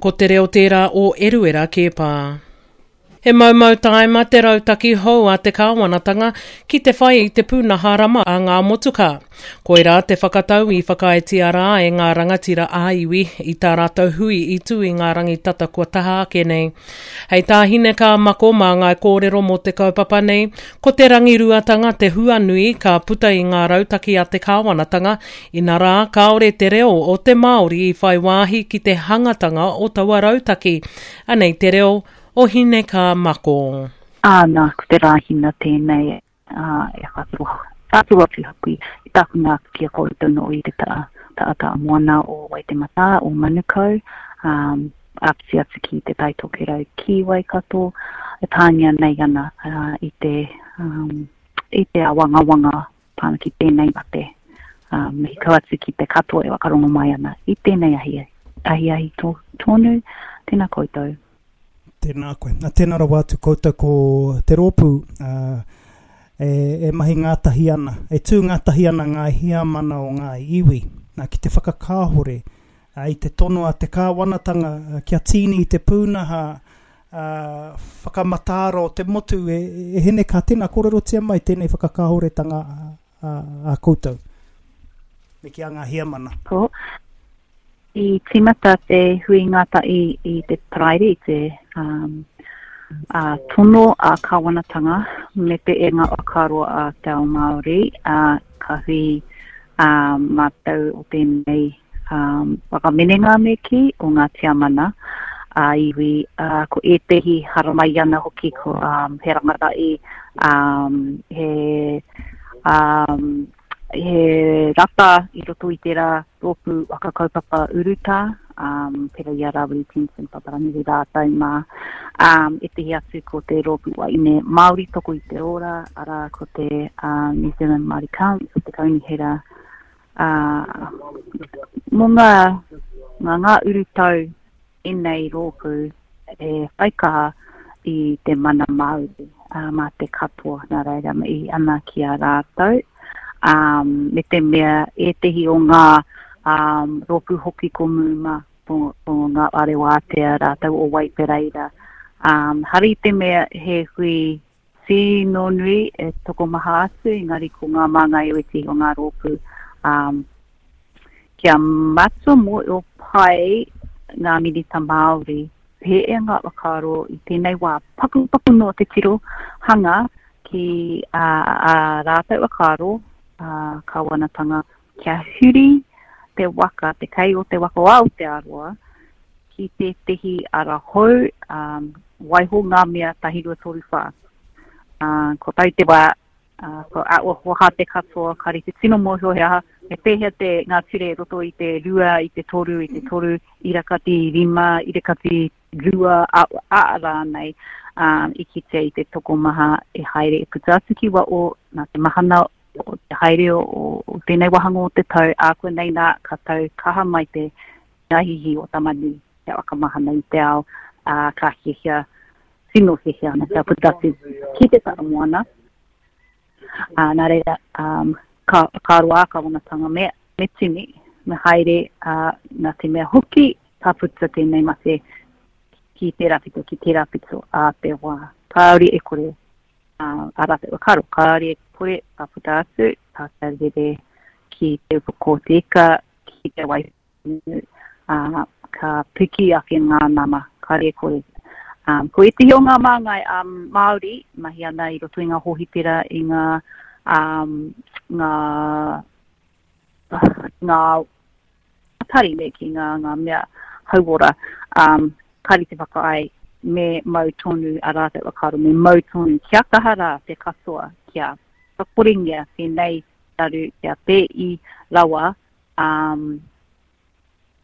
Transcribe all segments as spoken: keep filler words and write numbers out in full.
Ko te reo tērā o Eruera Keepa. He maumau tāima te rautaki hou a te kāwanatanga ki te whai i te pūnaha rama a ngā motuka. Koirā te whakatau i whakaaetia rā e ngā rangatira ā-iwi i tā rātou hui i tū i ngā rangi tata kua taha ake nei. Hei tā Hinekaa Mako mā ngā kōrero mō te kaupapa nei, ko te rangiruatanga te huanui ka puta i ngā rautaki a te kāwanatanga, inarā kāore te reo o te Māori i whai wāhi ki te hangatanga o taua rautaki. Anei te reo o Hinekaa Mako. Āna, ko te rāhina tēnei, ā, e whātoro, whātoro atu hoki i tāku nāku ki a koutou nō i te ta'a, ta'a ta'a moana o Waitematā, o Manukau, ā, āpiti atu ki te Tai Tokerau ki Waikato, e pāngia nei ana ā, i te, um, i te awangawanga pāna ki tēnei mate. Ā, mihi kau atu ki te katoa e whakarongo mai ana i tēnei ahi, ahiahi tō, tonu, tēnā koutou. Tēnā koe. Nā, tēnā rawa atu koutou ko te rōpū uh, e, e mahi ngātahi ana, e tū ngātahi ana ngā hiamana o ngā iwi nā, ki te whakakāhore uh, i te tono a te kāwanatanga uh, kia tīni i te pūnaha uh, whakamataara o te motu. E, e hene ka tēnā kōrerotia mai tēnei whakakāhoretanga a, a, a koutou. Me ki a ngā hiamana. Ko. I tīmata te hui ngātahi i te Paraire, i te um, a, tono a kāwanatanga me te e ngā whakaaro a te ao Māori, a, ka hui a, mātou o tēnei um, whakaminenga me kī o ngā tiamana a iwi, a, ko ētehi haramai ana hoki ko um, he rangatahi, um, he, um, he rata i roto i tērā rōpū waka kaupapa urutā, um, pera i a Rawiri Jensen, Paparangi rātou mā. Um, ētehi atu ko te rōpū waine Māori toko i te ora, arā ko te uh, New Zealand Māori Council, te kaunihera. Uh, mō ngā, ngā, ngā urutau ēnei rōpū e whaikaha i te mana Māori, uh, mā te katoa, nā reira i ana ki a rātou. Um, me te mea ētehi o ngā um, rōpū hoki ko Mūma, ko, ko ngā arewātea rātou o Waipereira. Um, hari te mea he hui tino nui e tokomaha atu, engari ko ngā māngai o ētehi o ngā rōpū. Um, kia matua mō pai ngā minita Māori, he e ngā whakaaro i tēnei wā pakupaku no te tiro hanga ki a, a rātou whakaaro, a kāwanatanga, kia huri te waka, te kei o te waka o Aotearoa, ki tētehi ara hou, um, waiho ngā mea tahi rua toru whā. Uh, ko tau te wā, uh, ko aua hoha te katoa, kāre te tino mōhio he aha, me pēhea te ngā ture roto i te rua, i te toru, i te toru, irakati rima, irakati rua, a, a rānei, um, i kitea i te tokomaha e haere e puta atu ki wa o, nā te mahana o te haere o, o, o tēnei wāhanga o te tau, ā koe nei nā ka tau kaha mai te ngahihi o Tamanui, te whakamahana i te ao, ā, ka hiahia, tino hiahia ana kia puta atu ki te taha moana. Ā, nā reira, um, ka whakaaro ā kāwanatanga me, me tini, me haere, ā, nā te mea hoki ka puta tēnei mate ki tērā pito, ki tērā pito ā te wā. Kāore e kore, ā, ā rātou whakaaro, kāore e kore ka puta atu, ka rere ki te upoko o te ika, ki te waiwhenu, ā, ka piki ake ngā nama, kāore e kore. Um, ko ētehi o ngā māngai um, Māori, mahi ana i roto i ngā hōhipera, i ngā, um, ngā, ngā tari me ki ngā, ngā mea hauora, um, kāre te whakaae me mau tonu a rātou whakaaro, me mau tonu kia kaha rā te katoa, kia whakakorengia tēnei raru, kia pēi rawa um,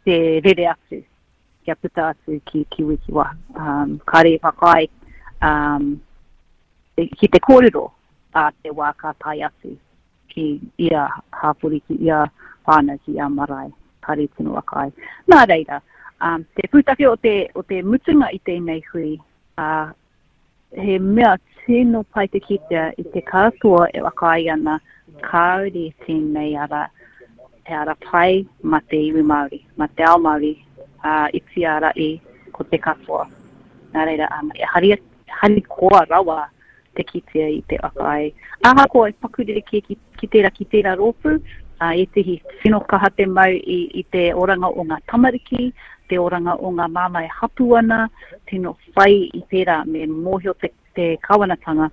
te rere atu, kia puta atu ki Kiwikiwa. Um, kāre whakaae um, ki te kōrero a te wā ka tae atu ki ia hāpori, ki ia whānau, ki ia marae, kāre tino whakaae. Nā reira, um, te pūtake o te, o te mutunga i tēnei hui, uh, he mea tino pai te kitea i te katoa e whakaae ana kāore tēnei ara, he ara pai mā te iwi Māori, mā te ao Māori, uh, iti ara i, ko te katoa. Nā reira, um, e hari, harikoa rawa te kitea i te whakaae. Ahakoa e paku rerekē ki, ki tērā, ki tērā rōpū, uh, ētehi tino kaha te mau i, i te oranga o ngā tamariki, te oranga o ngā māmā e hapu ana, tino whai i tērā me mōhio te, te kāwanatanga,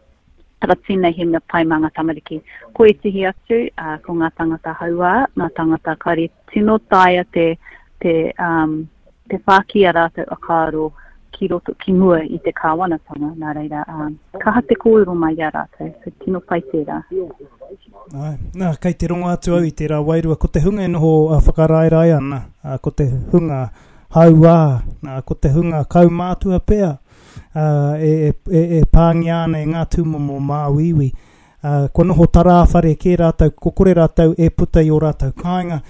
tara tēnei he mea pai mā ngā tamariki. Ko ētehi atu, uh, ko ngā tangata hauā, ngā tangata kāre tino taea te, te, um, te whāki a rātou whakaaro ki roto, ki mua i te kāwanatanga, nā reira, um, kaha te kōrero mai i a rātou, so tino pai tērā. Ai, nā, kei te rongo atu au i tērā wairua, ko te hunga e noho uh, whakaraerae ana, uh, ko te hunga hauā, uh, ko te hunga kaumātua pea, uh, e, e, e pāngia ana e ngā tūmomo māuiui. Uh, kua noho tarāwhare kē rātou, ko kore rātou e puta i o rātou kāinga.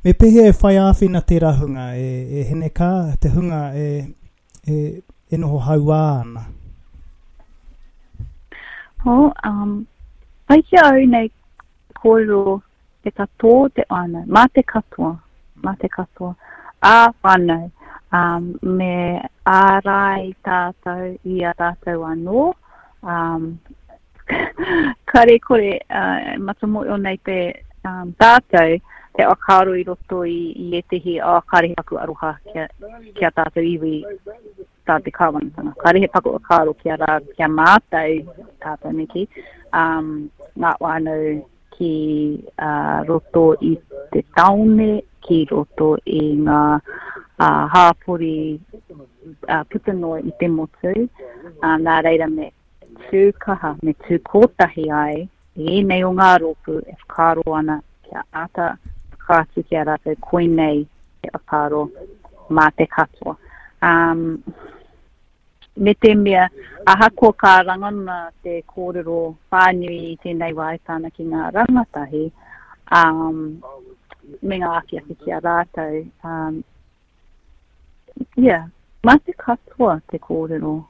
Me pēhea e whai āwhina tērā hunga, e, e Hinekaa, te hunga e, e, e noho hauā ana? Oh, um, pai ki a au nei kōrero te katoa te whānau, mā te katoa, mā te katoa, ā whānau, um, me ārai tātou i a tātou anō, um, kare kore uh, matamoio nei te um, tātou, te whakaaro i roto i, i ētehi, oh, kare he paku aroha kia, kia tātou iwi tā te kāwanatanga. Kare he paku whakaaro kia, rā, kia mātou tātou neki, um, ngā whānau ki uh, roto i te taone, ki roto i ngā uh, hāpori uh, puta noa i te motu. Uh, nā reira me tū kaha, me tū kōtahi ai, i ēnei o ngā rōpū e whakaaro ana kia āta whakaatu ki a rātou koinei te whakaaro mā te katoa. Um, me te mea, ahakoa ka rangona te kōrero whānui i tēnei wā e tāna ki ngā rangatahi, um, me ngā akiaki ki a rātou, um, yeah, mā te katoa te kōrero.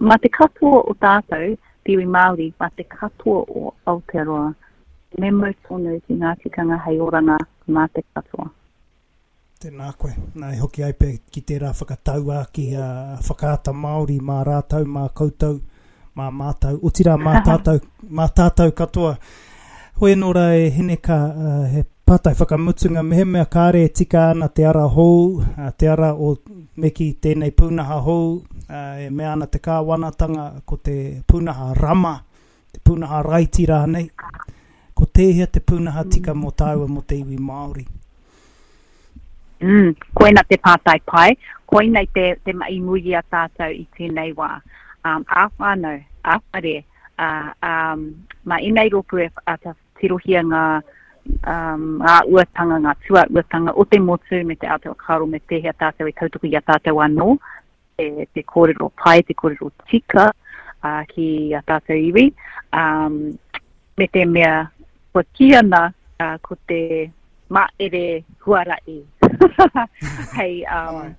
Mā te katoa o tātou, te iwi Māori, mā te katoa o Aotearoa, me mau tonu ki ngā tikanga hei oranga mā te katoa. Tēnā koe. Nā, e hoki ai pe ki tērā whakatauāki a Whakaata Māori mā rātou, mā koutou, mā mātou, otirā mā tātou, mā tātou katoa. Hoi anō rā e Hinekaa, uh, he pātai whakamutunga, mehemea kāre e tika ana te ara hou, uh, te ara o me ki tēnei pūnaha hou, uh, e mea ana te kāwanatanga ko te pūnaha rama, te pūnaha raiti rānei. Ko tēhea te pūnaha tika mō tāua mō te iwi Māori? Mm, koina te pātai pai, koinei te, te mahi mui i a tātou i tēnei wā. Um, a whānau, a whare, uh, um, mā ēnei rōpū e āta tirohia ngā, um, ngā uatanga, ngā tuauatanga o te motu me te āta whakaaro me tēhea tātou e tautoko i a tātou anō, te, te kōrero pai, te kōrero tika uh, ki a tātou iwi. Um, me te mea kua kī ana uh, ko te maere huarahi. Hei, um,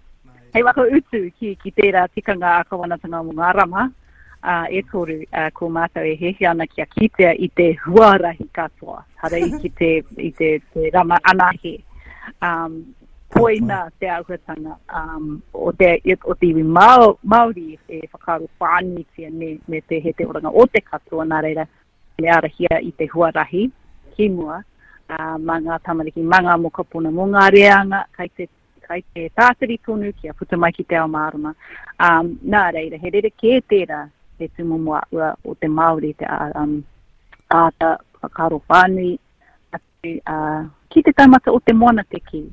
hei whakautu ki, ki tērā tikanga a kawanatanga mō ngā rama uh, e toru, uh, ko mātou e hiahia ana kia kitea i te huarahi katoa, hara i ki te, i te, te rama anahe. Um, koina te āhuatanga um, o, te, o te iwi Māori e whakaaro whānuitia me, me te he te oranga o te katoa, nā reira me arahia i te huarahi ki mua, uh, mā ngā tamariki, mā ngā mokopuna, mō ngā reanga, kai te, kai te tātari tonu kia puta mai ki te ao mārama. Um, nā reira, he rerekē tērā te tūmomo āhua o te Māori, te um, āta whakaaro whānui atu, uh, ki te taumata o te moana te kī.